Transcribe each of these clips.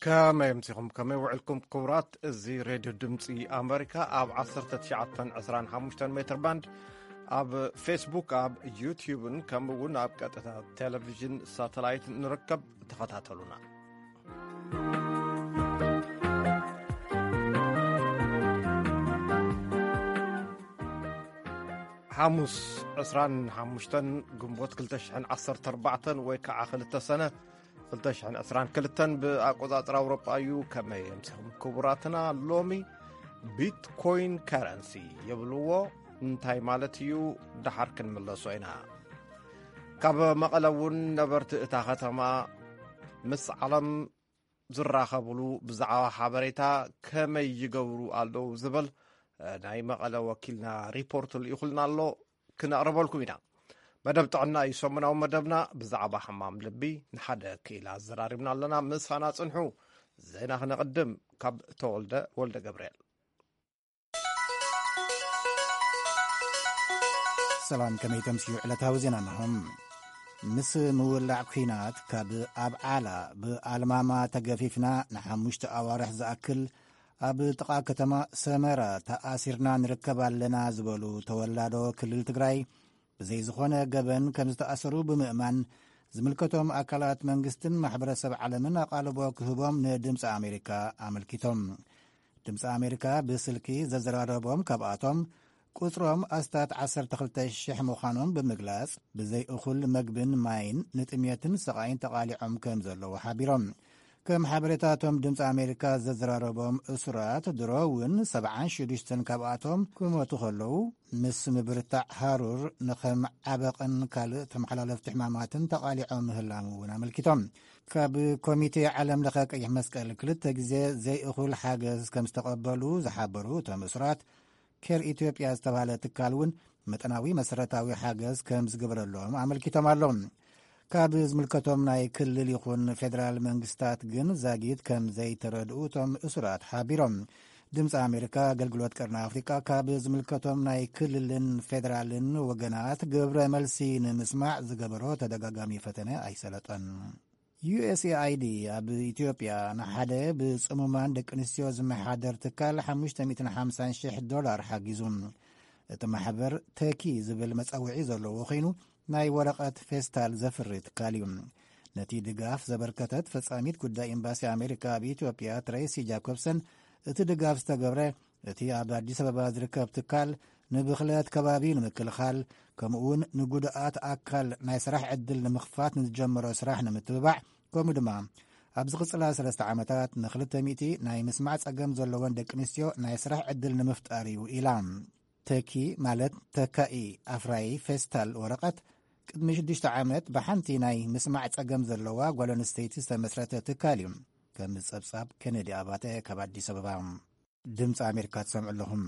ከመይ ኣምሲኹም? ከመይ ውዕልኩም ክቡራት? እዚ ሬድዮ ድምፂ ኣመሪካ ኣብ ዓሰርተ ትሽዓተ ዕስራን ሓሙሽተን ሜትር ባንድ፣ ኣብ ፌስቡክ፣ ኣብ ዩትዩብን ከምኡ እውን ኣብ ቀጥታ ቴሌቪዥን ሳተላይት ንርከብ። ተኸታተሉና። ሓሙስ ዕስራን ሓሙሽተን ግንቦት ክልተ ሽሕን ዓሰርተ ኣርባዕተን ወይ ከዓ ክልተ ሰነ ክልተ ሽሕን ዕስራን ክልተን ብኣቆጻጽራ ኣውሮጳ እዩ። ከመይ ኣምሲኹም ክቡራትና? ሎሚ ቢትኮይን ከረንሲ ይብልዎ እንታይ ማለት እዩ? ደሓር ክንምለሶ ኢና። ካብ መቐለ እውን ነበርቲ እታ ከተማ ምስ ዓለም ዝራኸብሉ ብዛዕባ ሓበሬታ ከመይ ይገብሩ ኣለዉ ዝብል፣ እ፣ ናይ መቐለ ወኪልና ሪፖርት ልኢኹልና ኣሎ፣ ክነቕርበልኩም ኢና። መደብ ጥዕና እዩ ሰሙናዊ መደብና። ብዛዕባ ሕማም ልቢ ንሓደ ክኢላ ኣዘራሪብና ኣለና። ምሳና ጽንሑ። ዜና ክነቕድም ካብ ተወልደ ወልደ ገብርኤል። ሰላም፣ ከመይ ተምስዩ? ዕለታዊ ዜና እንሆም። ምስ ምውላዕ ኲናት ካብ ኣብዓላ ብኣልማማ ተገፊፍና ንሓሙሽተ ኣዋርሕ ዝኣክል ኣብ ጥቓ ከተማ ሰመራ ተኣሲርና ንርከብ ኣለና ዝበሉ ተወላዶ ክልል ትግራይ፣ ብዘይ ዝኾነ ገበን ከም ዝተኣሰሩ ብምእማን፣ ዝምልከቶም ኣካላት መንግስትን ማሕበረሰብ ዓለምን ኣቓልቦ ክህቦም ንድምፂ ኣሜሪካ ኣመልኪቶም። ድምፂ ኣሜሪካ ብስልኪ ዘዘራረቦም ካብኣቶም፣ ቁፅሮም ኣስታት ዓሰርተ ክልተ ሽሕ ምዃኖም ብምግላፅ፣ ብዘይ እኹል መግብን ማይን ንጥሜትን ስቓይን ተቓሊዖም ከም ዘለዉ ሓቢሮም። ከም ሓበሬታቶም ድምፂ ኣሜሪካ ዘዘራረቦም እሱራት ድሮ እውን ሰብዓን ሽዱሽተን ካብኣቶም ክሞቱ ከለዉ፣ ምስ ምብርታዕ ሃሩር ንኸም ዓበቕን ካልእ ተመሓላለፍቲ ሕማማትን ተቓሊዖም ምህላም እውን ኣመልኪቶም። ካብ ኮሚቴ ዓለም ለኸ ቀይሕ መስቀል ክልተ ግዜ ዘይእኹል ሓገዝ ከም ዝተቐበሉ ዝሓበሩ እቶም እሱራት፣ ኬር ኢትዮጵያ ዝተባህለ ትካል እውን መጠናዊ መሰረታዊ ሓገዝ ከም ዝግበረሎም ኣመልኪቶም ኣለዉ። ካብ ዝምልከቶም ናይ ክልል ይኹን ፌደራል መንግስታት ግን ዛጊት ከም ዘይተረድኡ እቶም እሱራት ሓቢሮም። ድምፂ ኣሜሪካ ኣገልግሎት ቀርኒ ኣፍሪቃ ካብ ዝምልከቶም ናይ ክልልን ፌደራልን ወገናት ግብረ መልሲ ንምስማዕ ዝገበሮ ተደጋጋሚ ፈተነ ኣይሰለጠን። ዩ ኤስ ኤ ኣይ ዲ ኣብ ኢትዮጵያ ንሓደ ብጽሙማን ደቂ ኣንስትዮ ዝመሓደር ትካል ሓሙሽተ ሚእትን ሓምሳን ሽሕ ዶላር ሓጊዙ። እቲ ማሕበር ተኪ ዝብል መጸውዒ ዘለዎ ኮይኑ፣ ናይ ወረቐት ፌስታል ዘፍሪ ትካል እዩ። ነቲ ድጋፍ ዘበርከተት ፈጻሚት ጉዳይ ኤምባሲ ኣሜሪካ ኣብ ኢትዮጵያ ትሬሲ ጃኮብሰን፣ እቲ ድጋፍ ዝተገብረ እቲ ኣብ ኣዲስ ኣበባ ዝርከብ ትካል ንብኽለት ከባቢ ንምክልኻል፣ ከምኡውን ንጉድኣት ኣካል ናይ ስራሕ ዕድል ንምኽፋት ንዝጀመሮ ስራሕ ንምትብባዕ፣ ከምኡ ድማ ኣብ ዝቕጽላ ሰለስተ ዓመታት ንክልተ ሚእቲ ናይ ምስማዕ ጸገም ዘለወን ደቂ ኣንስትዮ ናይ ስራሕ ዕድል ንምፍጣር እዩ ኢላ። ተኪ ማለት ተካኢ ኣፍራዪ ፌስታል ወረቐት፣ ቅድሚ ሽዱሽተ ዓመት ብሓንቲ ናይ ምስማዕ ጸገም ዘለዋ ጓል ኣንስተይቲ ዝተመስረተ ትካል እዩ። ከም ጸብጻብ ኬነዲ ኣባተ ካብ ኣዲስ ኣበባ። ድምፂ ኣሜሪካ ትሰምዑ ኣለኹም።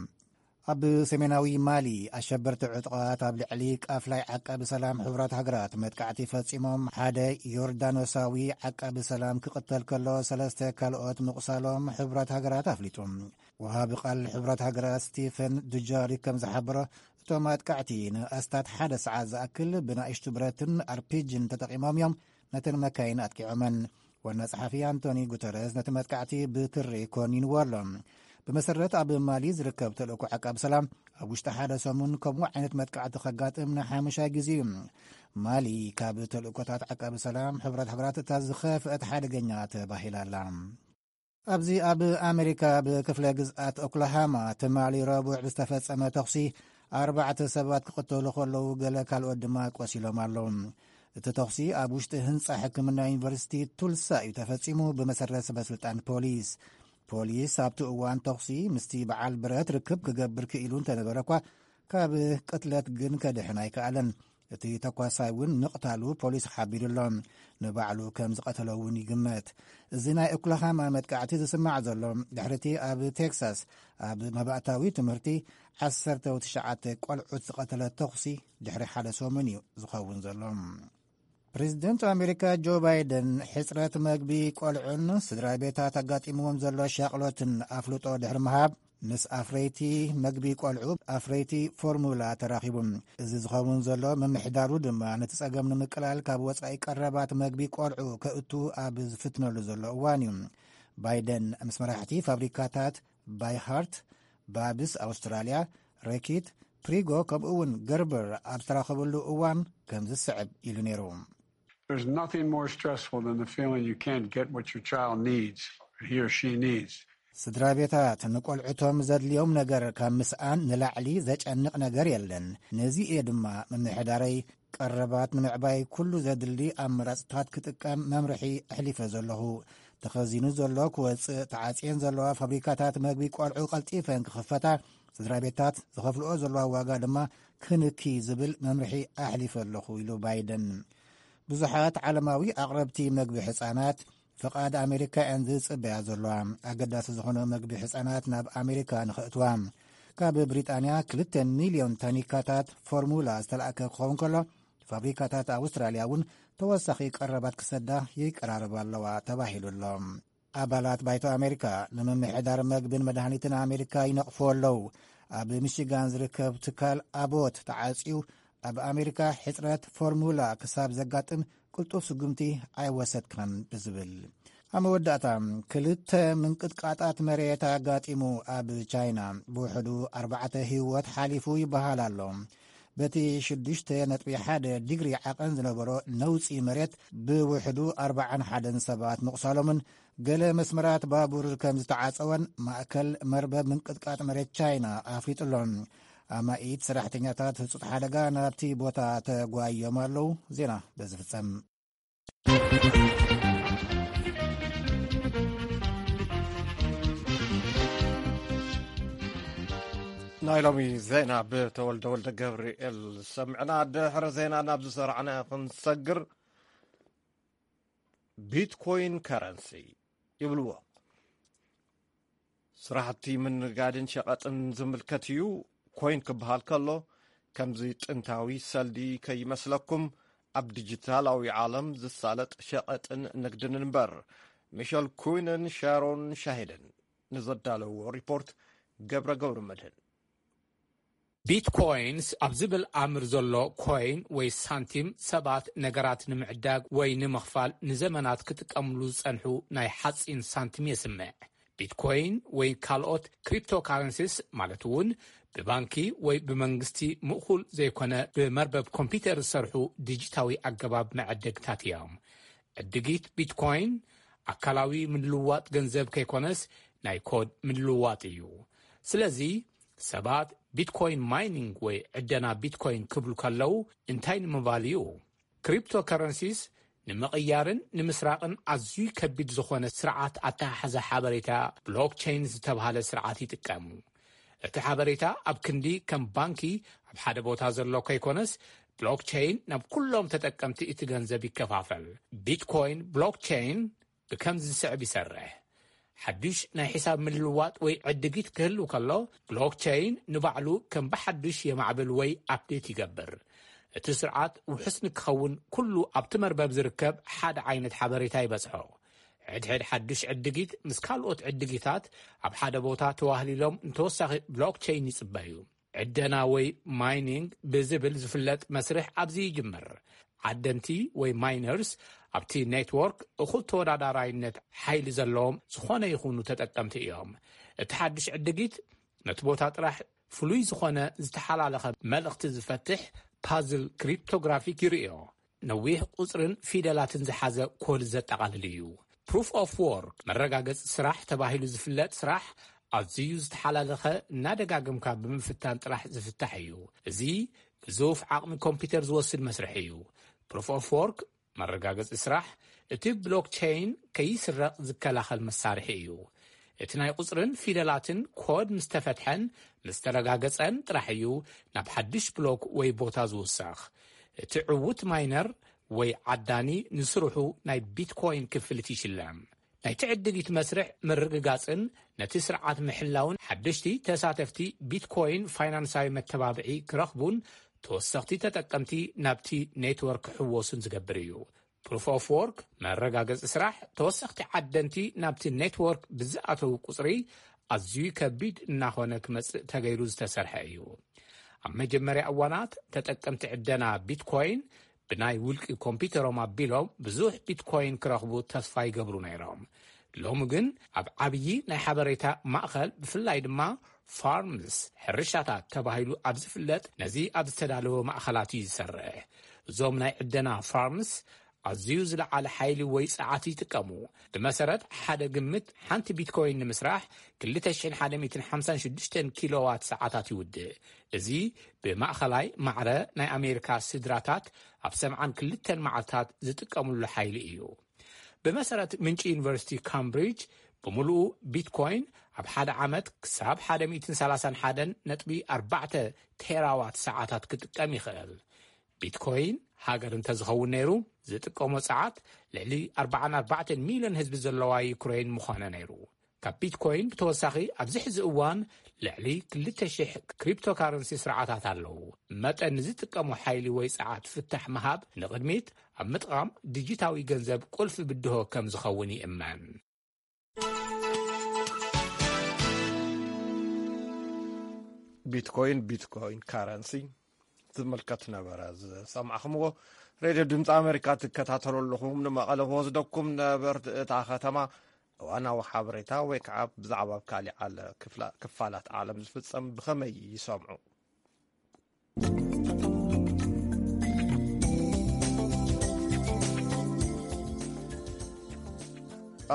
ኣብ ሰሜናዊ ማሊ ኣሸበርቲ ዕጡቓት ኣብ ልዕሊ ቃፍላይ ዓቃቢ ሰላም ሕቡራት ሃገራት መጥቃዕቲ ፈጺሞም፣ ሓደ ዮርዳኖሳዊ ዓቃቢ ሰላም ክቕተል ከሎ፣ ሰለስተ ካልኦት ምቑሳሎም ሕቡራት ሃገራት ኣፍሊጡ። ወሃቢ ቃል ሕቡራት ሃገራት ስቲፈን ዱጃሪክ ከም ዝሓበሮ፣ እቶም ኣጥቃዕቲ ንኣስታት ሓደ ሰዓት ዝኣክል ብናእሽቱ ብረትን ኣርፒጅን ተጠቒሞም እዮም ነተን መካይን ኣጥቂዖመን። ዋና ጸሓፊ ኣንቶኒ ጉተረስ ነቲ መጥቃዕቲ ብትሪ ኮኒንዎ ኣሎ። ብመሰረት ኣብ ማሊ ዝርከብ ተልእኮ ዓቃቢ ሰላም፣ ኣብ ውሽጢ ሓደ ሰሙን ከምኡ ዓይነት መጥቃዕቲ ከጋጥም ንሓሙሻይ ግዜ እዩ። ማሊ ካብ ተልእኮታት ዓቃቢ ሰላም ሕቡራት ሃገራት እታ ዝኸፍአት ሓደገኛ ተባሂላ ኣላ። ኣብዚ ኣብ ኣሜሪካ ኣብ ክፍለ ግዝኣት ኦክላሃማ ትማሊ ረቡዕ ብዝተፈጸመ ተኹሲ ኣርባዕተ ሰባት ክቕተሉ ከለዉ፣ ገለ ካልኦት ድማ ቆሲሎም ኣለዉ። እቲ ተኹሲ ኣብ ውሽጢ ህንጻ ሕክምና ዩኒቨርሲቲ ቱልሳ እዩ ተፈጺሙ፣ ብመሰረት ሰበስልጣን ፖሊስ። ፖሊስ ኣብቲ እዋን ተኹሲ ምስቲ በዓል ብረት ርክብ ክገብር ክኢሉ እንተነበረ እኳ፣ ካብ ቅትለት ግን ከድሕን ኣይከኣለን። እቲ ተኳሳይ እውን ምቕታሉ ፖሊስ ሓቢሩ ኣሎ። ንባዕሉ ከም ዝቐተሎ እውን ይግመት። እዚ ናይ ኦክላሃማ መጥቃዕቲ ዝስማዕ ዘሎ፣ ድሕሪ እቲ ኣብ ቴክሳስ ኣብ መባእታዊ ትምህርቲ ዓሰርተ ትሽዓተ ቆልዑት ዝቐተለ ተኹሲ ድሕሪ ሓደ ሰሙን እዩ ዝኸውን ዘሎ። ፕሬዚደንት ኣሜሪካ ጆ ባይደን፣ ሕጽረት መግቢ ቆልዑን ስድራ ቤታት ኣጋጢምዎም ዘሎ ሻቕሎትን ኣፍልጦ ድሕሪ ምሃብ፣ ምስ ኣፍረይቲ መግቢ ቆልዑ፣ ኣፍረይቲ ፎርሙላ፣ ተራኺቡ። እዚ ዝኸውን ዘሎ፣ ምምሕዳሩ ድማ ነቲ ጸገም ንምቅላል ካብ ወጻኢ ቀረባት መግቢ ቆልዑ ከእቱ ኣብ ዝፍትነሉ ዘሎ እዋን እዩ። ባይደን ምስ መራሕቲ ፋብሪካታት ባይሃርት፣ ባብስ ኣውስትራልያ፣ ረኪት፣ ፕሪጎ ከምኡ እውን ገርበር ኣብ ዝተራኸበሉ እዋን ከምዚ ዝስዕብ ኢሉ ነይሩ። There's nothing more stressful than the feeling you can't get what your child needs, he or she needs. ስድራ ቤታት ንቆልዕቶም ዘድልዮም ነገር ካብ ምስኣን ንላዕሊ ዘጨንቕ ነገር የለን። ነዚ እየ ድማ ምምሕዳረይ ቀረባት ንምዕባይ ኩሉ ዘድሊ ኣመራፅታት ክጥቀም መምርሒ ኣሕሊፈ ዘለኹ። ተኸዚኑ ዘሎ ክወፅእ፣ ተዓፅየን ዘለዋ ፋብሪካታት መግቢ ቆልዑ ቀልጢፈን ክኽፈታ፣ ስድራ ቤታት ዝኸፍልኦ ዘለዋ ዋጋ ድማ ክንኪ ዝብል መምርሒ ኣሕሊፈ ኣለኹ ኢሉ ባይደን። ብዙሓት ዓለማዊ ኣቕረብቲ መግቢ ህጻናት ፍቓድ ኣሜሪካ እየን ዝጽበያ ዘለዋ። ኣገዳሲ ዝኾነ መግቢ ህጻናት ናብ ኣሜሪካ ንኽእትዋ፣ ካብ ብሪጣንያ ክልተ ሚልዮን ታኒካታት ፎርሙላ ዝተላእከ ክኸውን ከሎ፣ ፋብሪካታት ኣውስትራልያ እውን ተወሳኺ ቀረባት ክሰዳ ይቀራረባ ኣለዋ ተባሂሉ ኣሎ። ኣባላት ባይቶ ኣሜሪካ ንምምሕዳር መግብን መድሃኒትን ኣሜሪካ ይነቕፉ ኣለዉ። ኣብ ሚሽጋን ዝርከብ ትካል ኣቦት ተዓጽዩ፣ ኣብ ኣሜሪካ ሕጽረት ፎርሙላ ክሳብ ዘጋጥም ቅልጡፍ ስጉምቲ ኣይወሰድካን ብዝብል። ኣብ መወዳእታ፣ ክልተ ምንቅጥቃጣት መሬት ኣጋጢሙ። ኣብ ቻይና ብውሕዱ ኣርባዕተ ህይወት ሓሊፉ ይበሃል ኣሎ። በቲ ሽዱሽተ ነጥቢ ሓደ ዲግሪ ዓቐን ዝነበሮ ነውጺ መሬት ብውሕዱ ኣርባዓን ሓደን ሰባት ምቑሳሎምን ገለ መስመራት ባቡር ከም ዝተዓጸወን ማእከል መርበብ ምንቅጥቃጥ መሬት ቻይና ኣፍሊጡ ኣሎ። ኣማኢት ሰራሕተኛታት ህጹጽ ሓደጋ ናብቲ ቦታ ተጓዮም ኣለዉ። ዜና በዚ ፍጸም። ናይ ሎሚ ዜና ብተወልደ ወልደ ገብርኤል ሰምዕና። ድሕሪ ዜና ናብ ዝሰራዕና ክንሰግር፣ ቢትኮይን ከረንሲ ይብልዎ። ስራሕቲ ምንጋድን ሸቐጥን ዝምልከት እዩ። ኮይን ክበሃል ከሎ፣ ከምዚ ጥንታዊ ሰልዲ ከይመስለኩም፣ ኣብ ዲጂታላዊ ዓለም ዝሳለጥ ሸቐጥን ንግድን እምበር። ሚሸል ኩይንን ሻሮን ሻሂድን ንዘዳለዎ ሪፖርት፣ ገብረ ገብረ መድህን። ቢትኮይንስ ኣብ ዝብል ኣምር ዘሎ ኮይን ወይ ሳንቲም፣ ሰባት ነገራት ንምዕዳግ ወይ ንምኽፋል ንዘመናት ክጥቀምሉ ዝጸንሑ ናይ ሓጺን ሳንቲም የስምዕ። ቢትኮይን ወይ ካልኦት ክሪፕቶካረንሲስ፣ ማለት እውን ብባንኪ ወይ ብመንግስቲ ምእኹል ዘይኮነ ብመርበብ ኮምፒውተር ዝሰርሑ ዲጂታዊ ኣገባብ መዐደግታት እዮም። ዕድጊት ቢትኮይን ኣካላዊ ምልውዋጥ ገንዘብ ከይኮነስ፣ ናይ ኮድ ምልውዋጥ እዩ። ስለዚ ሰባት ቢትኮይን ማይኒንግ ወይ ዕደና ቢትኮይን ክብሉ ከለዉ እንታይ ንምባል እዩ? ክሪፕቶከረንሲስ ንምቕያርን ንምስራቕን ኣዝዩ ከቢድ ዝኾነ ስርዓት ኣተሓሕዛ ሓበሬታ ብሎክቸይን ዝተብሃለ ስርዓት ይጥቀሙ። እቲ ሓበሬታ ኣብ ክንዲ ከም ባንኪ ኣብ ሓደ ቦታ ዘሎ ከይኮነስ፣ ብሎክቸይን ናብ ኩሎም ተጠቀምቲ እቲ ገንዘብ ይከፋፈል። ቢትኮይን ብሎክቸይን ብከምዚ ዝስዕብ ይሰርሕ። ሓዱሽ ናይ ሒሳብ ምልውዋጥ ወይ ዕድጊት ክህሉ ከሎ፣ ብሎክቸይን ንባዕሉ ከም ብሓዱሽ የማዕብል ወይ ኣፕዴት ይገብር። እቲ ስርዓት ውሑስ ንክኸውን፣ ኩሉ ኣብቲ መርበብ ዝርከብ ሓደ ዓይነት ሓበሬታ ይበጽሖ። ሕድሕድ ሓዱሽ ዕድጊት ምስ ካልኦት ዕድጊታት ኣብ ሓደ ቦታ ተዋህሊሎም ንተወሳኺ ብሎክቸይን ይጽበዩ። ዕደና ወይ ማይኒንግ ብዝብል ዝፍለጥ መስርሕ ኣብዚ ይጅምር። ዓደንቲ ወይ ማይነርስ ኣብቲ ኔትወርክ እኹል ተወዳዳራይነት ሓይሊ ዘለዎም ዝኾነ ይኹኑ ተጠቀምቲ እዮም። እቲ ሓድሽ ዕድጊት ነቲ ቦታ ጥራሕ ፍሉይ ዝኾነ ዝተሓላለኸ መልእኽቲ ዝፈትሕ ፓዝል ክሪፕቶግራፊክ ይርእዮ። ነዊሕ ቁጽርን ፊደላትን ዝሓዘ ኮድ ዘጠቓልል እዩ። ፕሩፍ ኦፍ ወርክ፣ መረጋገጺ ስራሕ ተባሂሉ ዝፍለጥ ስራሕ፣ ኣዝዩ ዝተሓላለኸ፣ እናደጋገምካ ብምፍታን ጥራሕ ዝፍታሕ እዩ። እዚ ግዙፍ ዓቕሚ ኮምፒውተር ዝወስድ መስርሕ እዩ። ፕሩፍ ኦፍ ወርክ፣ መረጋገጺ ስራሕ፣ እቲ ብሎክቸይን ከይስረቕ ዝከላኸል መሳርሒ እዩ። እቲ ናይ ቁጽርን ፊደላትን ኮድ ምስ ተፈትሐን ምስ ተረጋገጸን ጥራሕ እዩ ናብ ሓድሽ ብሎክ ወይ ቦታ ዝውሰኽ። እቲ ዕዉት ማይነር ወይ ዓዳኒ ንስርሑ ናይ ቢትኮይን ክፍሊት ይሽለም። ናይቲ ዕድጊት መስርሕ ምርግጋጽን ነቲ ስርዓት ምሕላውን ሓደሽቲ ተሳተፍቲ ቢትኮይን ፋይናንሳዊ መተባብዒ ክረኽቡን ተወሰኽቲ ተጠቀምቲ ናብቲ ኔትወርክ ክሕወሱን ዝገብር እዩ። ፕሩፍ ኦፍ ወርክ፣ መረጋገጺ ስራሕ፣ ተወሰኽቲ ዓደንቲ ናብቲ ኔትወርክ ብዝኣተዉ ቁጽሪ ኣዝዩ ከቢድ እናኾነ ክመጽእ ተገይሩ ዝተሰርሐ እዩ። ኣብ መጀመርያ እዋናት ተጠቀምቲ ዕደና ቢትኮይን ብናይ ውልቂ ኮምፒውተሮም ኣቢሎም ብዙሕ ቢትኮይን ክረኽቡ ተስፋ ይገብሩ ነይሮም። ሎሚ ግን ኣብ ዓብዪ ናይ ሓበሬታ ማእኸል፣ ብፍላይ ድማ ፋርምስ፣ ሕርሻታት ተባሂሉ ኣብ ዝፍለጥ፣ ነዚ ኣብ ዝተዳለወ ማእኸላት እዩ ዝሰርሕ። እዞም ናይ ዕደና ፋርምስ ኣዝዩ ዝለዓለ ሓይሊ ወይ ጸዓት ይጥቀሙ። ብመሰረት ሓደ ግምት፣ ሓንቲ ቢትኮይን ንምስራሕ ክልተ ሽሕን ሓደ ሚእትን ሓምሳን ሽዱሽተን ኪሎዋት ሰዓታት ይውድእ። እዚ ብማእኸላይ ማዕረ ናይ ኣሜሪካ ስድራታት ኣብ ሰብዓን ክልተን መዓልታት ዝጥቀምሉ ሓይሊ እዩ። ብመሰረት ምንጪ ዩኒቨርሲቲ ካምብሪጅ፣ ብምሉኡ ቢትኮይን ኣብ ሓደ ዓመት ክሳብ ሓደ ሚእትን ሰላሳን ሓደን ነጥቢ ኣርባዕተ ቴራዋት ሰዓታት ክጥቀም ይኽእል። ቢትኮይን ሃገር እንተዝኸውን ነይሩ፣ ዝጥቀሞ ጸዓት ልዕሊ ኣርባዓን ኣርባዕተን ሚልዮን ህዝቢ ዘለዋ ዩክሬን ምዃነ ነይሩ። ካብ ቢትኮይን ብተወሳኺ፣ ኣብዚ ሕዚ እዋን ልዕሊ ክልተ ሽሕ ክሪፕቶካረንሲ ስርዓታት ኣለዉ። መጠን ንዝጥቀሞ ሓይሊ ወይ ጸዓት ፍታሕ ምሃብ፣ ንቕድሚት ኣብ ምጥቓም ዲጂታዊ ገንዘብ ቁልፊ ብድሆ ከም ዝኸውን ይእመን። ቢትኮይን፣ ቢትኮይን ካረንሲ ዝምልከት ነበረ ዝሰማዕኹምዎ። ሬድዮ ድምፂ ኣሜሪካ ትከታተሉ ኣለኹም። ንመቐለ ክወስደኩም ነበርቲ እታ ከተማ እዋናዊ ሓበሬታ ወይ ከዓ ብዛዕባ ኣብ ካሊእ ዓለ-፣ ክፍላ-፣ ክፋላት ዓለም ዝፍጸም ብኸመይ ይሰምዑ?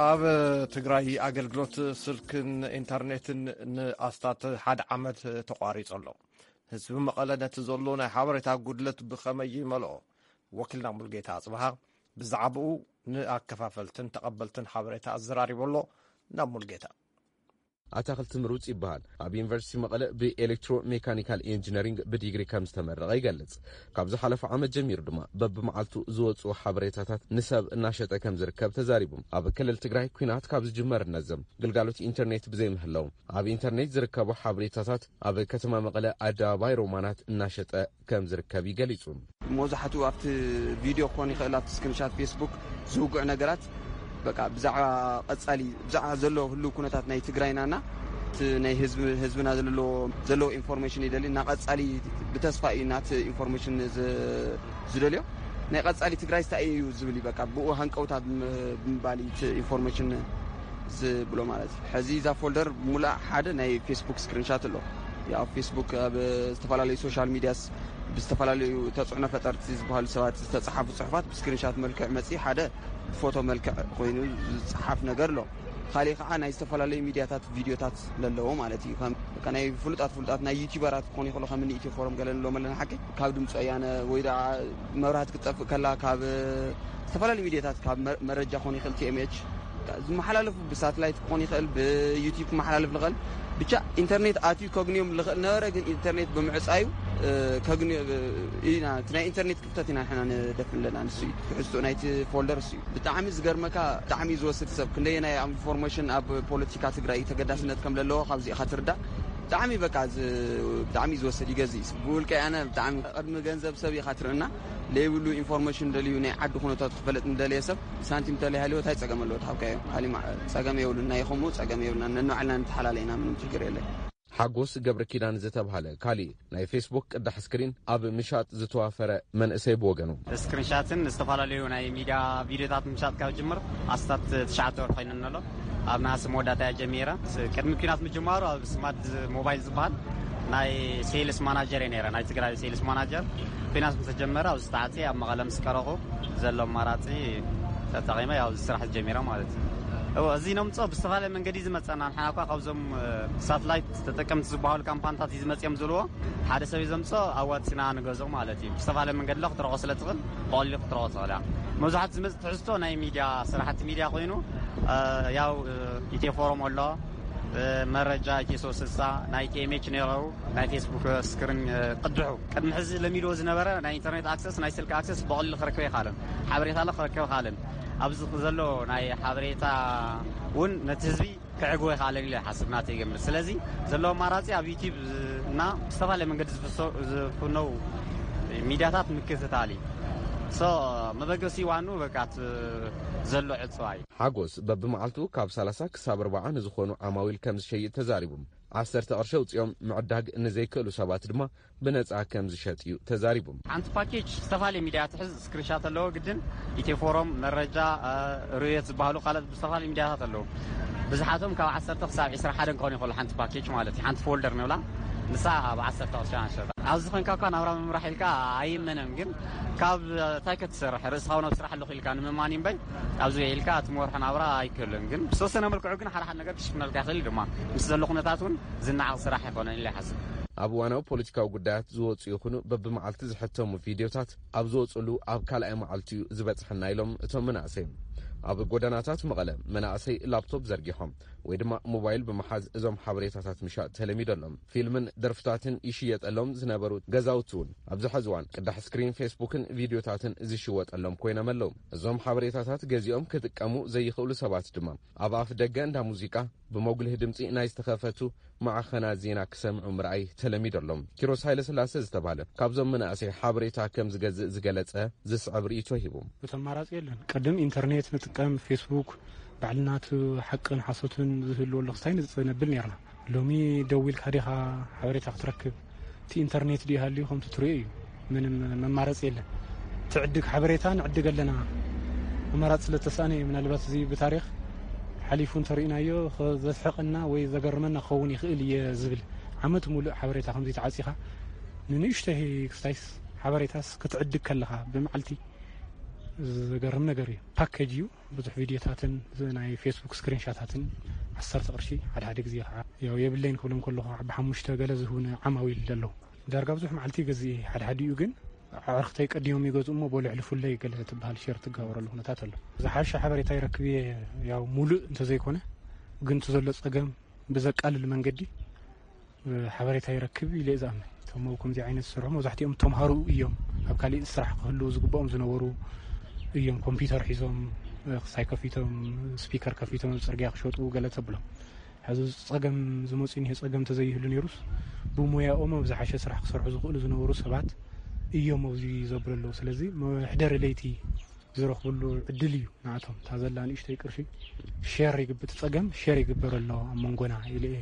ኣብ ትግራይ ኣገልግሎት ስልክን ኢንተርኔትን ንኣስታት ሓደ ዓመት ተቋሪጹ ኣሎ። ህዝቢ መቐለ ነቲ ዘሎ ናይ ሓበሬታ ጉድለት ብኸመይ ይመልኦ? ወኪልና ሙልጌታ ኣጽብሃ ብዛዕባኡ ንኣከፋፈልትን ተቐበልትን ሓበሬታ ኣዘራሪቡ ኣሎ። ናብ ሙልጌታ። ኣታኽልቲ ምሩጽ ይበሃል። ኣብ ዩኒቨርሲቲ መቐለ ብኤሌክትሮ ሜካኒካል ኢንጂነሪንግ ብዲግሪ ከም ዝተመረቐ ይገልጽ። ካብ ዝሓለፈ ዓመት ጀሚሩ ድማ በብመዓልቱ ዝወጽኡ ሓበሬታታት ንሰብ እናሸጠ ከም ዝርከብ ተዛሪቡ። ኣብ ክልል ትግራይ ኲናት ካብ ዝጅመር ነዘም ግልጋሎት ኢንተርኔት ብዘይምህላው፣ ኣብ ኢንተርኔት ዝርከቡ ሓበሬታታት ኣብ ከተማ መቐለ ኣደባባይ ሮማናት እናሸጠ ከም ዝርከብ እዩ ገሊጹ። መብዛሕትኡ ኣብቲ ቪድዮ ክኾን ይኽእል፣ ኣብቲ ስክሪንሻት ፌስቡክ ዝውግዑ ነገራት፣ በቃ ብዛዕባ ቀጻሊ፣ ብዛዕባ ዘሎ ህሉው ኩነታት ናይ ትግራይናና እቲ ናይ ህዝቢ-፣ ህዝብና ዘለዎ፣ ዘለዎ ኢንፎርሜሽን ይደሊ። እና ቀጻሊ ብተስፋ እዩ ናቲ ኢንፎርሜሽን ዝ-፣ ዝደልዮ። ናይ ቀጻሊ ትግራይ ስታይ እዩ ዝብል እዩ። በቃ ብኡ ሃንቀውታ ብም-፣ ብምባል እዩ እቲ ኢንፎርሜሽን ዝብሎ ማለት እዩ። ሕዚ እዛ ፎልደር ሙሉኣ ሓደ ናይ ፌስቡክ ስክሪንሻት ኣሎ። ያው ፌስቡክ ኣብ ዝተፈላለዩ ሶሻል ሚዲያስ ብዝተፈላለዩ ተጽዕኖ ፈጠርቲ ዝበሃሉ ሰባት ዝተጻሓፉ ጽሑፋት ብስክሪንሻት መልክዕ መጺ፣ ሓደ ብፎቶ መልክዕ ኮይኑ ዝጸሓፍ ነገር ኣሎ። ካሊእ ከዓ ናይ ዝተፈላለዩ ሚዲያታት ቪዲዮታት ለለዎ ማለት እዩ። ከም በቃ ናይ ፍሉጣት ፍሉጣት ናይ ዩቲዩበራት ክኾኑ ይኽእሉ፣ ከም እኒ ኢትዮ ፎረም ገለ ንብሎም ኣለና ሓቂ፣ ካብ ድምፂ ወያነ ወይ ደኣ መብራህቲ ክትጠፍእ ከላ ካብ ዝተፈላለዩ ሚዲያታት ካብ መ-፣ መረጃ ክኾን ይኽእል፣ ቲ ኤም ኤች ዝመሓላለፉ ብሳትላይት ክኾን ይኽእል፣ ብዩቲዩብ ክመሓላለፍ ዝኽእል፣ ብቻ ኢንተርኔት ኣትዩ ከግንዮም ዝኽእል ነበረ። ግን ኢንተርኔት ብምዕፃዩ፣ እ፣ ከግንዮ፣ እ፣ ኢና፣ እቲ ናይ ኢንተርኔት ክፍተት ኢና ንሕና ንደፍን ኣለና። ንሱ እዩ ትሕዝቶ ናይቲ ፎልደር፣ እሱ እዩ። ብጣዕሚ ዝገርመካ፣ ብጣዕሚ እዩ ዝወስድ ሰብ። ክንደየናይ ኣብ ኢንፎርሜሽን ኣብ ፖለቲካ ትግራይ ተገዳስነት ከም ዘለዎ ካብዚ ኢኻ ትርዳእ። ብጣዕሚ በቃ ዝ-፣ ብጣዕሚ እዩ ዝወስድ፣ ይገዝእ እዩ። ብውልቀ ኣነ ብጣዕሚ ቅድሚ ገንዘብ ሰብ ኢኻ ትርእና። ለይብሉ ኢንፎርሜሽን ደልዩ ናይ ዓዲ ኩነታት ክፈለጥ እንደለየ ሰብ ሳንቲም ተለይሃልዮ እንታይ ጸገም ኣለዎ? ተሃብካዮ። ካሊእ ማ-፣ ጸገም የብሉን። ናይ ኸምኡ ጸገም የብልና። ነንባዕልና ንተሓላለ ኢና፣ ምንም ችግር የለን። ሓጎስ ገብረ ኪዳን ዝተብሃለ ካሊእ ናይ ፌስቡክ ቅዳሕ ስክሪን ኣብ ምሻጥ ዝተዋፈረ መንእሰይ ብወገኑ። ስክሪንሻትን ዝተፈላለዩ ናይ ሚድያ ቪድዮታት ምሻጥ ካብ ጅምር ኣስታት ትሽዓተ ወርሒ ኮይነን ኣሎ። ኣብ ነሃሲ መወዳእታ እያ ጀሚረ። ስ-፣ ቅድሚ ኲናት ምጅማሩ ኣብ ስማርት ሞባይል ዝበሃል ናይ ሴልስ ማናጀር እየ ነይረ፣ ናይ ትግራይ ሴልስ ማናጀር። ኲናት ምስ ተጀመረ ኣብዚ ተዓፅየ ኣብ መቐለ ምስ ቀረኹ ዘሎ ኣማራፂ ተጠቒመ ያው እዚ ስራሕ ጀሚረ ማለት እዩ። እዎ፣ እዚ ነምፅኦ ብዝተፈላለየ መንገዲ እዩ ዝመፀና። ንሕና እኳ ካብዞም፣ እ፣ ሳትላይት ተጠቀምቲ ዝበሃሉ ካምፓኒታት እዩ ዝመፅኦም ዝብልዎ። ሓደ ሰብ እዩ ዘምፅኦ፣ ኣዋፂና ንገዝኦ ማለት እዩ። ብዝተፈላለየ መንገዲ ለ ክትረኽቦ ስለ ትኽእል፣ ብቐሊሉ ክትረኽቦ ትኽእል እያ። መብዛሕትኡ ዝመፅእ ትሕዝቶ ናይ ሚድያ፣ ስራሕቲ ሚድያ ኮይኑ፣ እ፣ ያው፣ እ፣ ኢትዮ ፎረም ኣሎ፣ እ፣ መረጃ ኢትዮ ሶስት ስልሳ፣ ናይ ቲ ኤም ኤች ነይረው፣ ናይ ፌስቡክ ስክሪን፣ እ፣ ቅድሑ። ቅድሚ ሕዚ ለሚድዎ ዝነበረ ናይ ኢንተርኔት ኣክሰስ፣ ናይ ስልኪ ኣክሰስ ብቐሊሉ ክረክብ ይኻልን። ሓበሬታ ለ ክረክብ ይኻልን። ኣብዚ ዘሎ ናይ ሓበሬታ እውን ነቲ ህዝቢ ክዕግቦ ይኽኣለን ኢለ ይሓስብ፣ ናተይ ግምት። ስለዚ ዘለዎ ኣማራፂ ኣብ ዩቲዩብ እና ዝተፈላለየ መንገዲ ዝፍሶ-፣ ዝፍነው ሚድያታት ምክትታል እዩ። ሶ፣ መበገሲ ዋኑ በቃ እቲ ዘሎ ዕፅዋ እዩ። ሓጎስ በብመዓልቱ ካብ ሰላሳ ክሳብ ኣርባዓ ንዝኾኑ ዓማዊል ከም ዝሸይጥ ተዛሪቡ። ዓሰርተ ቅርሺ ኣውፂኦም ምዕዳግ ንዘይክእሉ ሰባት ድማ ብነፃ ከም ዝሸጥ እዩ ተዛሪቡ። ሓንቲ ፓኬጅ ዝተፈላለዩ ሚዲያ ትሕዝ፣ ስክሪንሻት ኣለዎ ግድን፣ ኢትዮ ፎረም፣ መረጃ፣ ርዮት ዝበሃሉ ካልኦት ዝተፈላለዩ ሚዲያታት ኣለዉ። ብዝሓቶም ካብ ዓሰርተ ክሳብ ዕስራ ሓደ ክኾኑ ይኽእሉ፣ ሓንቲ ፓኬጅ ማለት እዩ። ሓንቲ ፎልደር ንብላ፣ ንሳ ኣብ ዓሰርተ ቅርሺ ንሸጣ። ኣብዚ ኮይንካ እኳ ናብራ ምምራሕ ኢልካ ኣይመነን፣ ግን ካብ እንታይ ክትሰርሕ፣ ርእስኻ እውን ኣብ ስራሕ ኣለኹ ኢልካ ንምማን እምበይ፣ ኣብዚ ውዒልካ እቲ መርሖ ናብራ ኣይክእልን። ግን ብዝተወሰነ መልክዑ ግን ሓደ ሓደ ነገር ክሽፍነልካ ይኽእል እዩ ድማ። ምስ ዘሎ ኩነታት እውን ዝነዓቕ ስራሕ ኣይኮነን ኢለ ይሓስብ። ኣብ እዋናዊ ፖለቲካዊ ጉዳያት ዝወፁ ይኹኑ በብመዓልቲ ዝሕተሙ ቪድዮታት ኣብ ዝወፅሉ ኣብ ካልኣይ መዓልቲ እዩ ዝበፅሐና ኢሎም እቶም መናእሰይ። ኣብ ጎደናታት መቐለ መናእሰይ ላፕቶፕ ዘርጊሖም ወይ ድማ ሞባይል ብምሓዝ እዞም ሓበሬታታት ምሻጥ ተለሚደሎም። ፊልምን ደርፍታትን ይሽየጠሎም ዝነበሩ ገዛውቲ እውን ኣብዚ ሕዚ እዋን ቅዳሕ ስክሪን ፌስቡክን ቪድዮታትን ዝሽወጠሎም ኮይኖም ኣለዉ። እዞም ሓበሬታታት ገዚኦም ክጥቀሙ ዘይኽእሉ ሰባት ድማ ኣብ ኣፍ ደገ እንዳ ሙዚቃ ብመጉልህ ድምፂ ናይ ዝተኸፈቱ ማዕኸናት ዜና ክሰምዑ ምርኣይ ተለሚደሎም። ኪሮስ ሃይለስላሰ ዝተባህለ ካብዞም መናእሰይ ሓበሬታ ከም ዝገዝእ ዝገለጸ ዝስዕብ ርእይቶ ሂቡ። እቲ ኣማራጺ የለን። ቅድም ኢንተርኔት ንጥቀም፣ ፌስቡክ፣ ባዕልና እቲ ሓቅን ሓሶትን ዝህልወሉ ክስታይ ንጽነብል ኔርና። ሎሚ ደዊልካ ዲኻ ሓበሬታ ክትረክብ? እቲ ኢንተርኔት ድዩ ሃልዩ ከምቲ ትሪኦ እዩ። ምንም መማረፂ የለን። ትዕድግ ሓበሬታ ንዕድግ ኣለና። ኣማራፂ ስለ ተሳእነ እዩ። ምናልባት እዚ ብታሪኽ ሓሊፉ እንተርኢናዮ ዘስሕቐና ወይ ዘገርመና ክኸውን ይኽእል እየ ዝብል። ዓመት ሙሉእ ሓበሬታ ከምዚ ተዓፂኻ ንንእሽተይ ክስታይስ ሓበሬታስ ክትዕድግ ከለኻ ብመዓልቲ ዘገርም ነገር እዩ። ፓኬጅ እዩ። ብዙሕ ቪድዮታትን ናይ ፌስቡክ ስክሪንሻታትን ዓሰርተ ቅርሺ ሓደ ሓደ ግዜ ከዓ ያው የብለይን ክብሎም ከለኹ ዓቢ ሓሙሽተ ገለ ዝህቡኒ ዓማዊል ኣለዉ። ዳርጋ ብዙሕ መዓልቲ ይገዝእ እየ። ሓደ ሓዲኡ ግን ኣዕርኽተይ ቀዲሞም ይገዝኡ እሞ በሉ ኣሕልፉለይ ገለ ትበሃል ሸር ትጋበረሉ ኩነታት ኣሎ። ዝሓሸ ሓበሬታ ይረክብ እየ ያው ሙሉእ እንተዘይኮነ ግን እቲ ዘሎ ጸገም ብዘቃልል መንገዲ ሓበሬታ ይረክብ ኢለ እየ ዝኣምን። እቶም ኣብ ከምዚ ዓይነት ዝሰርሑ መብዛሕትኦም ተምሃሩ እዮም። ኣብ ካሊእ ስራሕ ክህልዉ ዝግብኦም ዝነበሩ እዮም። ኮምፒውተር ሒዞም ክሳይ ከፊቶም ስፒከር ከፊቶም ኣብ ፅርግያ ክሸጡ ገለ ተብሎም። ሕዚ ፀገም ዝመፅኡ እኒሀ ፀገም ተዘይህሉ ነይሩስ ብሙያኦም ኣብ ዝሓሸ ስራሕ ክሰርሑ ዝኽእሉ ዝነበሩ ሰባት እዮም ኣብዚ ዘብሉ ኣለዉ። ስለዚ መሕደሪ ለይቲ ዝረኽብሉ ዕድል እዩ ንኣቶም። እታ ዘላ ንእሽተይ ቅርሺ ሸር ይግብ-፣ እቲ ጸገም ሸር ይግበር ኣሎ ኣብ መንጎና ኢለ እየ።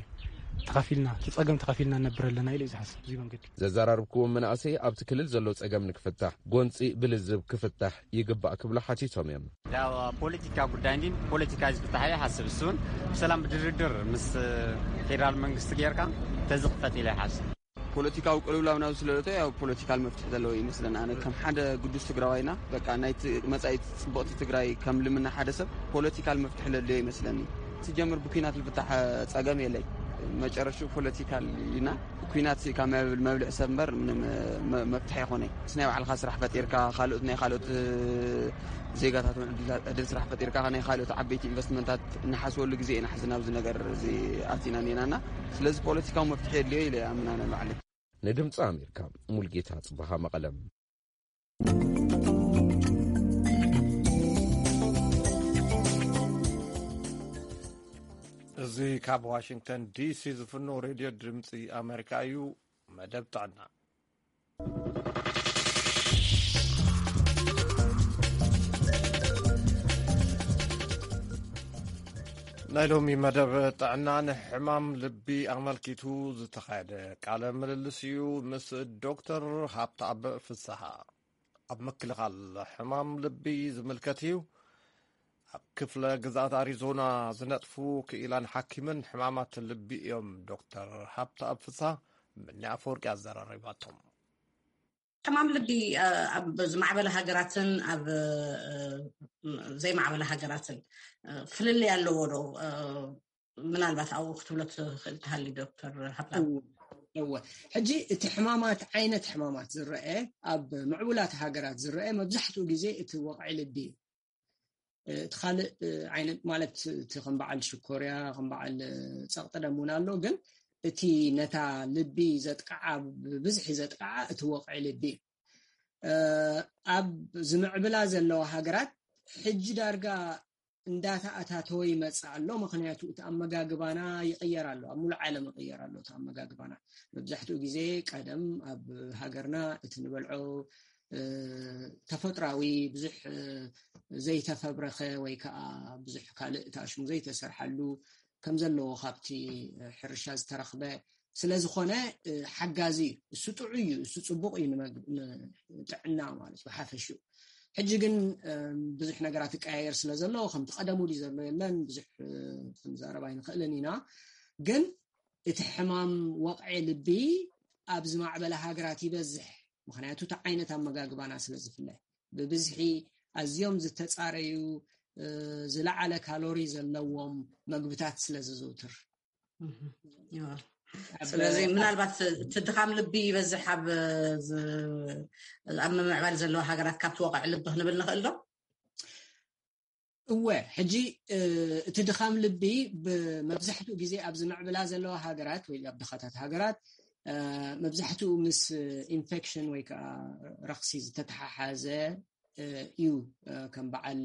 ተኻፊልና፣ እቲ ጸገም ተኻፊልና ንነብር ኣለና ኢለ እየ ዝሓስብ። እዚ መንገዲ። ዘዘራርብክዎም መናእሰይ ኣብቲ ክልል ዘሎ ጸገም ንክፍታሕ ጎንጺ ብልዝብ ክፍታሕ ይግባእ ክብሉ ሓቲቶም እዮም። ያው ፖለቲካ ጉዳይ እንዲ ፖለቲካ ዝፍታሕ ኢለ ይሓስብ። እሱን ብሰላም ብድርድር ምስ ፌደራል መንግስቲ ጌርካ ተዝኽፈት ኢለ ይሓስብ። ፖለቲካዊ ቅልውላው ናብ ስለለቶ ያው ፖለቲካል መፍትሒ ዘለዎ ይመስለና። ኣነ ከም ሓደ ግዱስ ትግራዋይና በቃ ናይቲ መጻኢት ጽቡቕቲ ትግራይ ከም ልምና ሓደ ሰብ ፖለቲካል መፍትሒ ለድልዮ ይመስለኒ። ሲጀምር ብኲናት ልፍታሕ ጸገም የለይ። መጨረሽኡ ፖለቲካል ኢና። ኲናት ካብ መብል-፣ መብልዕ ሰብ እምበር ምንም መ-፣ መፍትሒ ኣይኮነይ። ምስ ናይ ባዕልኻ ስራሕ ፈጢርካ ካልኦት ናይ ካልኦት ዜጋታት እውን ዕድል፣ ዕድል ስራሕ ፈጢርካ ናይ ካልኦት ዓበይቲ ኢንቨስትመንታት እንሓስበሉ ግዜ ኢና ሕዚ ናብዚ ነገር እዚ ኣቲና እኒናና። ስለዚ ፖለቲካዊ መፍትሒ የድልዮ ኢለ ይኣምን ኣነ ባዕለይ። ንድምፂ ኣሜሪካ ሙልጌታ ጽበሃ መቐለም። እዚ ካብ ዋሽንግተን ዲሲ ዝፍኖ ሬድዮ ድምፂ ኣሜሪካ እዩ። መደብ ጥዕና። ናይ ሎሚ መደብ ጥዕና ንሕማም ልቢ ኣመልኪቱ ዝተኻየደ ቃለ ምልልስ እዩ ምስ ዶክተር ሃብተኣብ ፍስሃ። ኣብ ምክልኻል ሕማም ልቢ ዝምልከት እዩ። ኣብ ክፍለ ግዝኣት ኣሪዞና ዝነጥፉ ክኢላን ሓኪምን ሕማማት ልቢ እዮም ዶክተር ሃብተኣብ ፍስሃ። ምኒ ኣፈወርቂ ኣዘራሪባቶም። ሕማም ልቢ ኣብ ዝማዕበለ ሃገራትን ኣብ ዘይማዕበለ ሃገራትን ፍልልይ ኣለዎ ዶ? ምናልባት ኣብኡ ክትብሎ ትኽእል ትሃሊ ዶክተር ሃብታም። እወ፣ እወ። ሕጂ እቲ ሕማማት፣ ዓይነት ሕማማት ዝረአ ኣብ ምዕቡላት ሃገራት ዝረአ መብዛሕትኡ ግዜ እቲ ወቕዒ ልቢ እዩ። እቲ ካልእ ዓይነት ማለት እቲ ከም በዓል ሽኮርያ፣ ከም በዓል ጸቕጢ ደም እውን ኣሎ። ግን እቲ ነታ ልቢ ዘጥቅዓ፣ ብብዝሒ ዘጥቅዓ እቲ ወቕዒ ልቢ እዩ። ኣብ ዝምዕብላ ዘለዋ ሃገራት ሕጂ ዳርጋ እንዳተኣታተወ ይመጽእ ኣሎ። ምኽንያቱ እቲ ኣመጋግባና ይቕየር ኣሎ። ኣብ ሙሉእ ዓለም ይቕየር ኣሎ እቲ ኣመጋግባና። መብዛሕትኡ ግዜ ቀደም ኣብ ሃገርና እቲ ንበልዖ፣ እ፣ ተፈጥራዊ ብዙሕ፣ እ፣ ዘይተፈብረኸ ወይ ከኣ ብዙሕ ካልእ እቲ ኣሽሙ ዘይተሰርሓሉ ከም ዘለዎ ካብቲ ሕርሻ ዝተረኽበ ስለ ዝኾነ ሓጋዚ እዩ። እሱ ጥዑይ እዩ፣ እሱ ጽቡቕ እዩ ንመግ- ንጥዕና ማለት እዩ ሓፈሽኡ። ሕጂ ግን ብዙሕ ነገራት ይቀያየር ስለ ዘሎ ከምቲ ቀደሙ ድዩ ዘሎ የለን ብዙሕ ክንዛረብ ኣይንኽእልን ኢና። ግን እቲ ሕማም ወቕዒ ልቢ ኣብ ዝማዕበለ ሃገራት ይበዝሕ፣ ምኽንያቱ እቲ ዓይነት ኣመጋግባና ስለ ዝፍለ። ብብዝሒ ኣዝዮም ዝተጻረዩ ዝለዓለ ካሎሪ ዘለዎም መግብታት ስለ ዝዝውትር። ስለዚ ምናልባት እቲ ድኻም ልቢ ይበዝሕ ኣብ ኣብ ምምዕባል ዘለዋ ሃገራት ካብቲ ወቕዒ ልቢ ክንብል ንኽእል ዶ? እወ፣ ሕጂ እቲ ድኻም ልቢ ብመብዛሕትኡ ግዜ ኣብ ዝምዕብላ ዘለዋ ሃገራት ወይ ኣብ ድኻታት ሃገራት መብዛሕትኡ ምስ ኢንፌክሽን ወይ ከዓ ረኽሲ ዝተተሓሓዘ እዩ። ከም በዓል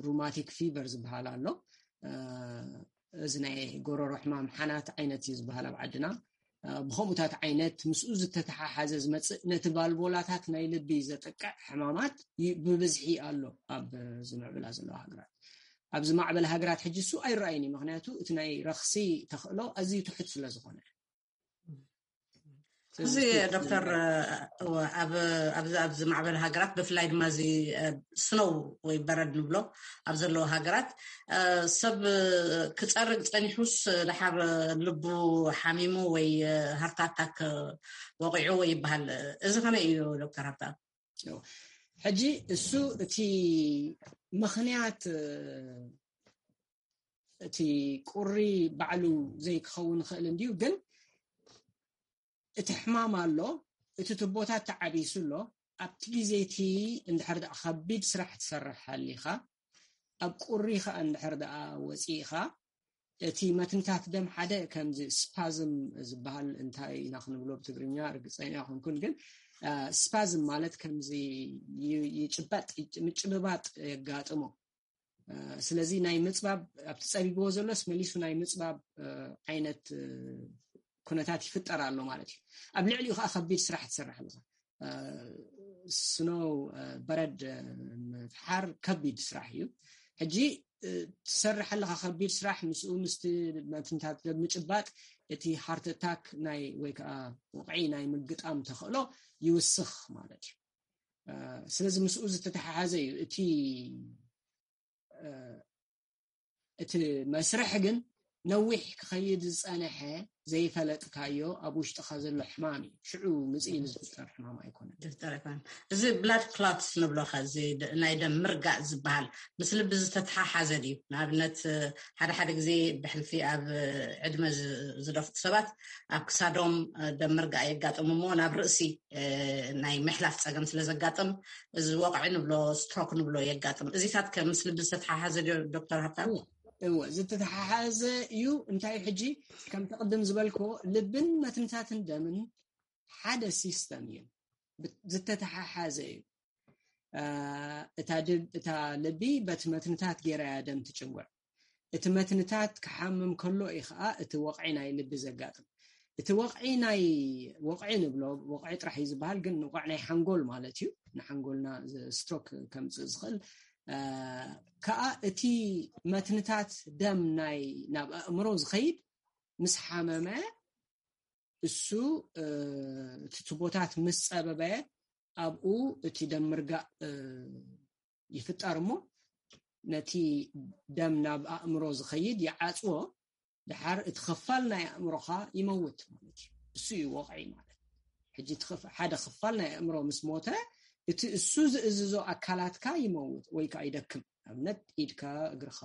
ሩማቲክ ፊቨር ዝበሃል ኣሎ፣ እዚ ናይ ጎረሮ ሕማም ሓናት ዓይነት እዩ ዝበሃል ኣብ ዓድና። ብከምኡታት ዓይነት ምስኡ ዝተተሓሓዘ ዝመፅእ ነቲ ቫልቮላታት ናይ ልቢ ዘጥቅዕ ሕማማት ብብዝሒ ኣሎ ኣብ ዝምዕብላ ዘለዋ ሃገራት። ኣብ ዝማዕበለ ሃገራት ሕጂ እሱ ኣይረኣይን እዩ፣ ምክንያቱ እቲ ናይ ረኽሲ ተኽእሎ ኣዝዩ ትሑት ስለ ዝኾነ። እዚ ዶክተር፣ ኣብዚ ኣብ ዝማዕበለ ሃገራት ብፍላይ ድማ እዚ ስኖው ወይ በረድ ንብሎ ኣብ ዘለዎ ሃገራት ሰብ ክፀርግ ፀኒሑስ ደሓር ልቡ ሓሚሙ ወይ ሃርት ኣታክ ወቂዑ ወይ ይበሃል። እዚ ከመይ እዩ ዶክተር ሃብታ? ሕጂ እሱ እቲ ምኽንያት እቲ ቁሪ ባዕሉ ዘይክኸውን ይኽእል እንድዩ፣ ግን እቲ ሕማም ኣሎ፣ እቲ ትቦታት ተዓቢሱ ኣሎ። ኣብቲ ግዜ እቲ እንድሕር ደኣ ከቢድ ስራሕ ትሰርሕ ሃሊኻ፣ ኣብ ቁሪ ኸኣ እንድሕር ደኣ ወፂእኻ፣ እቲ መትንታት ደም ሓደ ከምዚ ስፓዝም ዝበሃል እንታይ ኢና ክንብሎ ብትግርኛ ርግፀኛ ኣይኮንኩን፣ ግን ስፓዝም ማለት ከምዚ ይጭበጥ ምጭብባጥ የጋጥሞ። ስለዚ ናይ ምፅባብ ኣብቲ ፀቢብዎ ዘሎስ መሊሱ ናይ ምፅባብ ዓይነት ኩነታት ይፍጠር ኣሎ ማለት እዩ። ኣብ ልዕሊኡ ከዓ ከቢድ ስራሕ ትሰርሕ ኣለካ። ስኖው በረድ ምፍሓር ከቢድ ስራሕ እዩ። ሕጂ ትሰርሕ ኣለካ ከቢድ ስራሕ፣ ምስኡ ምስቲ መትንታት ምጭባጥ እቲ ሃርት ኣታክ ናይ ወይ ከዓ ወቕዒ ናይ ምግጣም ተኽእሎ ይውስኽ ማለት እዩ። ስለዚ ምስኡ ዝተተሓሓዘ እዩ እቲ እቲ መስርሕ ግን ነዊሕ ክኸይድ ዝፀንሐ ዘይፈለጥካዮ ኣብ ውሽጥኻ ዘሎ ሕማም እዩ። ሽዑ ምፅእ ኢሉ ዝፍጠር ሕማም ኣይኮነን። እዚ ብላድ ክላትስ ንብሎ ኸ፣ እዚ ናይ ደም ምርጋእ ዝበሃል ምስ ልቢ ዝተተሓሓዘ ድዩ? ንኣብነት ሓደ ሓደ ግዜ ብሕልፊ ኣብ ዕድመ ዝደፍኡ ሰባት ኣብ ክሳዶም ደም ምርጋእ የጋጥም እሞ ናብ ርእሲ ናይ ምሕላፍ ፀገም ስለ ዘጋጥም እዚ ወቕዒ ንብሎ ስትሮክ ንብሎ የጋጥም። እዚታት ከ ምስ ልቢ ዝተተሓሓዘ ድዮ ዶክተር ሃብታም? እወ፣ ዝተተሓሓዘ እዩ። እንታይ ሕጂ ከምቲ ቅድም ዝበልኮ ልብን መትንታትን ደምን ሓደ ሲስተም እዩ፣ ዝተተሓሓዘ እዩ። እታ ልቢ በቲ መትንታት ገይራ እያ ደም ትጭውዕ። እቲ መትንታት ክሓምም ከሎ እዩ ከዓ እቲ ወቕዒ ናይ ልቢ ዘጋጥም። እቲ ወቕዒ ናይ ወቕዒ ንብሎ ወቕዒ ጥራሕ እዩ ዝበሃል፣ ግን ንቋዕ ናይ ሓንጎል ማለት እዩ። ንሓንጎልና ስትሮክ ከምፅእ ዝኽእል ከዓ እቲ መትንታት ደም ናይ ናብ ኣእምሮ ዝኸይድ ምስ ሓመመ እሱ እቲ ትቦታት ምስ ፀበበ ኣብኡ እቲ ደም ምርጋእ ይፍጠር እሞ ነቲ ደም ናብ ኣእምሮ ዝኸይድ ይዓፅዎ። ድሓር እቲ ክፋል ናይ ኣእምሮኻ ይመውት ማለት እዩ። እሱ እዩ ወቕዒ ማለት። ሕጂ ሓደ ክፋል ናይ ኣእምሮ ምስ ሞተ እቲ እሱ ዝእዝዞ ኣካላትካ ይመውት ወይ ከዓ ይደክም። ኣብነት ኢድካ፣ እግርኻ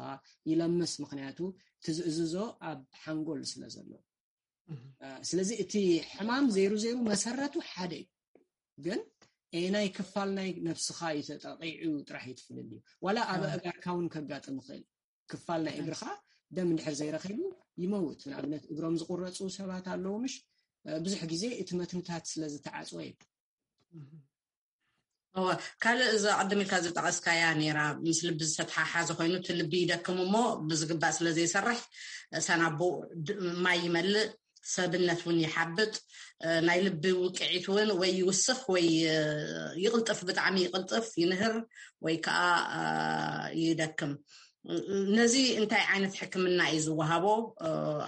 ይለምስ፣ ምክንያቱ እቲ ዝእዝዞ ኣብ ሓንጎል ስለ ዘሎ። ስለዚ እቲ ሕማም ዘይሩ ዘይሩ መሰረቱ ሓደ እዩ፣ ግን ኤናይ ክፋል ናይ ነፍስኻ እዩ ተጠቂዑ ጥራሕ እዩ ትፍልል እዩ። ዋላ ኣብ ኣእጋርካ እውን ከጋጥም ይኽእል። ክፋል ናይ እግርኻ ደም እንድሕር ዘይረኺቡ ይመውት። ንኣብነት እግሮም ዝቁረፁ ሰባት ኣለዉ ምሽ? ብዙሕ ግዜ እቲ መትንታት ስለ ዝተዓፅወ እዩ። እወ፣ ካልእ እዚ ቅድም ኢልካ ዝጠቐስካያ ነይራ፣ ምስ ልቢ ዝተተሓሓዘ ኮይኑ እቲ ልቢ ይደክም እሞ ብዝግባእ ስለ ዘይሰርሕ ሳናቡ ማይ ይመልእ፣ ሰብነት እውን ይሓብጥ፣ ናይ ልቢ ውቅዒት እውን ወይ ይውስኽ ወይ ይቕልጥፍ፣ ብጣዕሚ ይቕልጥፍ፣ ይንህር ወይ ከዓ ይደክም። ነዚ እንታይ ዓይነት ሕክምና እዩ ዝወሃቦ?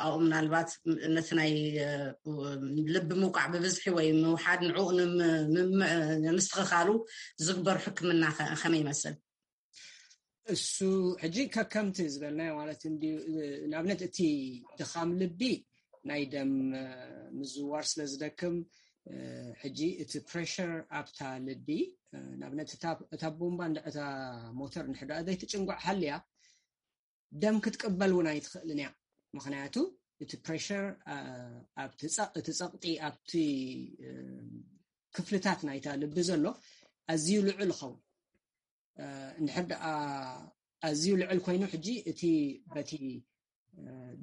ኣብኡ ምናልባት ነቲ ናይ ልቢ ምውቃዕ ብብዝሒ ወይ ምውሓድ ንዕኡ ንምስትኽኻሉ ዝግበር ሕክምና ከመይ ይመስል? እሱ ሕጂ ከከምቲ ዝበልናዮ ማለት እንድዩ። ንኣብነት እቲ ድኻም ልቢ ናይ ደም ምዝዋር ስለ ዝደክም፣ ሕጂ እቲ ፕሬሽር ኣብታ ልቢ፣ ንኣብነት እታ ቦምባ እታ ሞተር ንሕዳ ዘይትጭንጓዕ ሃልያ፣ ደም ክትቅበል እውን ኣይትኽእልን እያ። ምክንያቱ እቲ ፕሬሽር ኣብቲ ጸቕጢ ኣብቲ ክፍልታት ናይታ ልቢ ዘሎ ኣዝዩ ልዑል ይኸውን። እንድሕር ደኣ ኣዝዩ ልዑል ኮይኑ፣ ሕጂ እቲ በቲ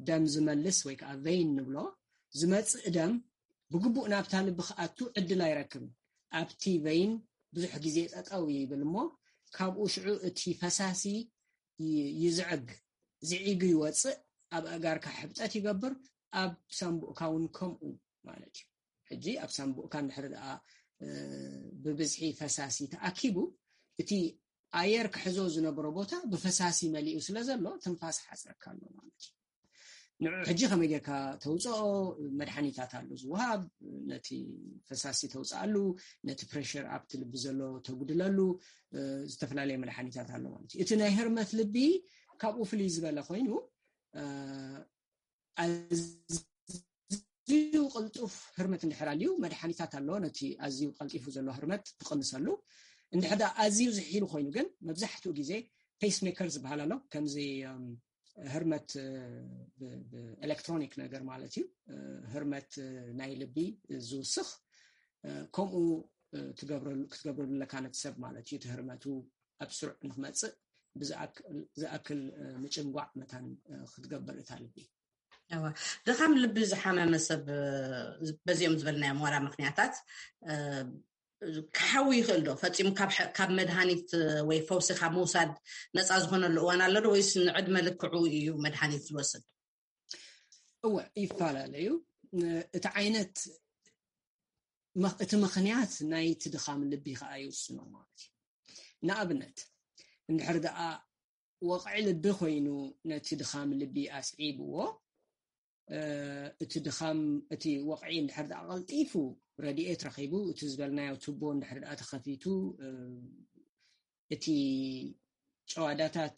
ደም ዝመልስ ወይ ከዓ ቬይን ንብሎ ዝመፅእ ደም ብግቡእ ናብታ ልቢ ክኣቱ ዕድል ኣይረክብን። ኣብቲ ቬይን ብዙሕ ግዜ ጠጠው ይብል እሞ፣ ካብኡ ሽዑ እቲ ፈሳሲ ይዝዕግ፣ ዝዒጉ ይወፅእ፣ ኣብ ኣእጋርካ ሕብጠት ይገብር፣ ኣብ ሳምቡእካ እውን ከምኡ ማለት እዩ። ሕጂ ኣብ ሳምቡእካ እንድሕር ደኣ ብብዝሒ ፈሳሲ ተኣኪቡ፣ እቲ ኣየር ክሕዞ ዝነበሮ ቦታ ብፈሳሲ መሊኡ ስለ ዘሎ ትንፋስ ሓፅረካ ኣሎ ማለት እዩ። ንዑ ሕጂ ከመይ ጌርካ ተውፅኦ? መድሓኒታት ኣሎ ዝወሃብ፣ ነቲ ፈሳሲ ተውፅኣሉ፣ ነቲ ፕሬሽር ኣብቲ ልቢ ዘሎ ተጉድለሉ፣ ዝተፈላለየ መድሓኒታት ኣሎ ማለት እዩ። እቲ ናይ ህርመት ልቢ ካብኡ ፍልይ ዝበለ ኮይኑ፣ ኣዝዩ ቅልጡፍ ህርመት እንድሕር ኣልዩ፣ መድሓኒታት ኣሎ ነቲ ኣዝዩ ቀልጢፉ ዘሎ ህርመት ትቕንሰሉ። እንድሕር ደኣ ኣዝዩ ዝሒሉ ኮይኑ ግን፣ መብዛሕትኡ ግዜ ፔስ ሜከር ዝበሃል ኣሎ፣ ከምዚ ህርመት ብኤሌክትሮኒክ ነገር ማለት እዩ። ህርመት ናይ ልቢ ዝውስኽ፣ ከምኡ ክትገብረሉ ኣለካ ነቲ ሰብ ማለት እዩ። እቲ ህርመቱ ኣብ ስሩዕ ንክመፅእ ብዝኣክል ምጭንጓዕ መታን ክትገብር እታ ልቢ። ድኻም ልቢ ዝሓመመ ሰብ በዚኦም ዝበልናዮም ዋላ ምክንያታት ክሓዊ ይኽእል ዶ? ፈፂሙ ካብ መድሃኒት ወይ ፈውሲ ካብ ምውሳድ ነፃ ዝኾነሉ እዋን ኣሎ ዶ? ወይስ ንዕድመ ልክዑ እዩ መድሃኒት ዝወስድ? እወ፣ ይፈላለዩ። እቲ ዓይነት እቲ ምኽንያት ናይቲ ድኻም ልቢ ከዓ ይውስኖ ማለት እዩ። ንኣብነት እንድሕር ደኣ ወቕዒ ልቢ ኮይኑ ነቲ ድኻም ልቢ ኣስዒብዎ፣ እቲ ድኻም እቲ ወቕዒ እንድሕር ደኣ ቀልጢፉ ረድኤት ረኺቡ፣ እቲ ዝበልናዮ ቱቦ እንድሕር ደኣ ተኸፊቱ፣ እቲ ጨዋዳታት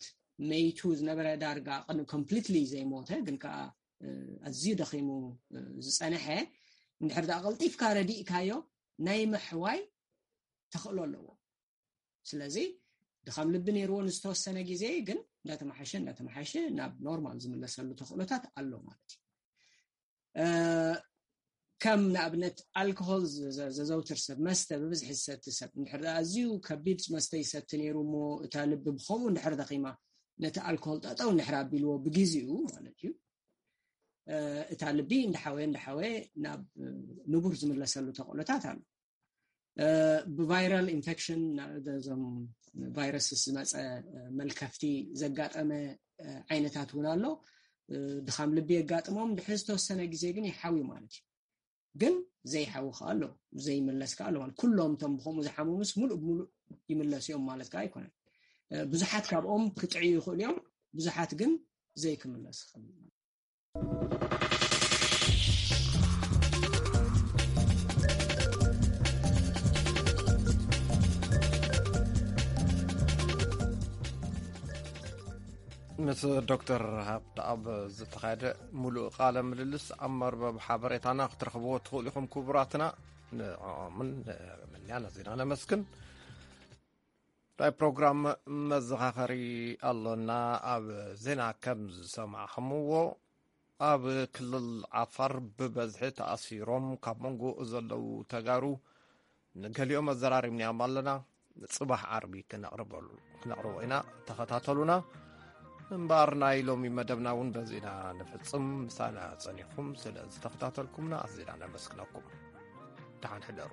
መይቱ ዝነበረ ዳርጋ ኮምፕሊትሊ ዘይሞተ ግን ከዓ ኣዝዩ ደኺሙ ዝፀነሐ እንድሕር ደኣ ቀልጢፍካ ረዲእካዮ ናይ ምሕዋይ ተኽእሎ ኣለዎ። ስለዚ ድኻም ልቢ ነይርዎ ንዝተወሰነ ግዜ ግን እንዳተመሓሸ እንዳተመሓሸ ናብ ኖርማል ዝምለሰሉ ተኽእሎታት ኣሎ ማለት እዩ። ከም ንኣብነት ኣልኮሆል ዘዘውትር ሰብ፣ መስተ ብብዝሒ ዝሰቲ ሰብ እንድሕር ኣዝዩ ከቢድ መስተ ይሰቲ ነይሩ እሞ እታ ልቢ ብከምኡ እንድሕር ደኺማ ነቲ ኣልኮሆል ጠጠው እንድሕር ኣቢልዎ ብግዜኡ ማለት እዩ፣ እታ ልቢ እንዳሓወየ እንዳሓወየ ናብ ንቡር ዝምለሰሉ ተኽእሎታት ኣሎ። ብቫይራል ኢንፌክሽን፣ ዞም ቫይረስስ ዝመፀ መልከፍቲ ዘጋጠመ ዓይነታት እውን ኣሎ። ድኻም ልቢ የጋጥሞም ድሕሪ ዝተወሰነ ግዜ ግን ይሓዊ ማለት እዩ። ግን ዘይሓዊ ከዓ ኣሎ፣ ዘይምለስ ከዓ ኣሎ። ኩሎም እቶም ብከምኡ ዝሓመሙስ ሙሉእ ብሙሉእ ይምለሱ እዮም ማለት ከዓ ኣይኮነን። ብዙሓት ካብኦም ክጥዕዩ ይኽእሉ እዮም፣ ብዙሓት ግን ዘይክምለስ ይኽእል። ምስ ዶክተር ሃብተኣብ ዝተኻየደ ሙሉእ ቃለ ምልልስ ኣብ መርበብ ሓበሬታና ክትረኽብዎ ትኽእሉ ኢኹም ክቡራትና። ንዕኦምን ንምንያ ነዚና ነመስግን። ናይ ፕሮግራም መዘኻኸሪ ኣሎና። ኣብ ዜና ከም ዝሰማዕኹምዎ ኣብ ክልል ዓፋር ብበዝሒ ተኣሲሮም ካብ መንጎ ዘለዉ ተጋሩ ንገሊኦም ኣዘራሪብናዮም ኣለና። ጽባሕ ዓርቢ ክነቕርበሉ ክነቕርቦ ኢና። ተኸታተሉና። እምበኣር ናይ ሎሚ መደብና እውን በዚ ኢና ንፍጽም። ምሳና ጸኒኹም ስለ ዝተኸታተልኩምና ኣዚና ነመስግነኩም። ደሓን ሕደሩ።